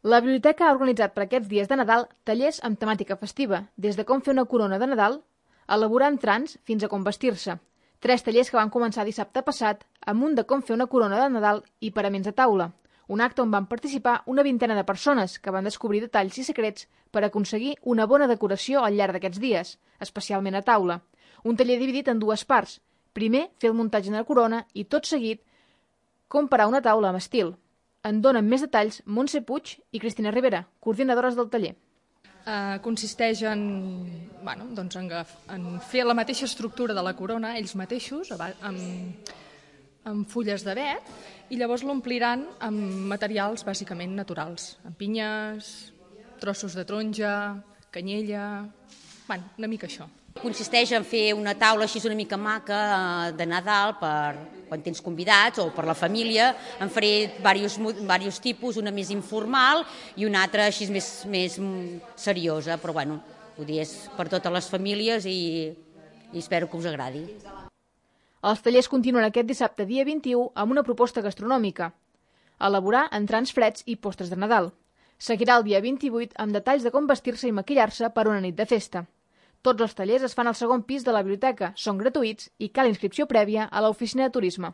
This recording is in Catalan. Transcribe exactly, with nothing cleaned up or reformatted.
La biblioteca ha organitzat per aquests dies de Nadal tallers amb temàtica festiva, des de com fer una corona de Nadal, elaborar entrants fins a com vestir-se. Tres tallers que van començar dissabte passat amb un de com fer una corona de Nadal i paraments de taula, un acte on van participar una vintena de persones que van descobrir detalls i secrets per aconseguir una bona decoració al llarg d'aquests dies, especialment a taula. Un taller dividit en dues parts. Primer, fer el muntatge de la corona i, tot seguit, com parar una taula amb estil. En donen més detalls Montse Puig i Cristina Rivera, coordinadores del taller. Uh, consisteix en, bueno, doncs en, en fer la mateixa estructura de la corona, ells mateixos, amb, amb fulles d'avet, i llavors l'ompliran amb materials bàsicament naturals, amb pinyes, trossos de taronja, canyella, bueno, una mica això. Consisteix en fer una taula així una mica maca de Nadal per quan tens convidats o per la família. En faré diversos, diversos tipus, una més informal i una altra així més, més seriosa, però bueno, vull dir, és per totes les famílies i, i espero que us agradi. Els tallers continuen aquest dissabte dia vint-i-u amb una proposta gastronòmica. Elaborar entrants freds i postres de Nadal. Seguirà el dia vint-i-vuit amb detalls de com vestir-se i maquillar-se per una nit de festa. Tots els tallers es fan al segon pis de la biblioteca, són gratuïts i cal inscripció prèvia a l'oficina de turisme.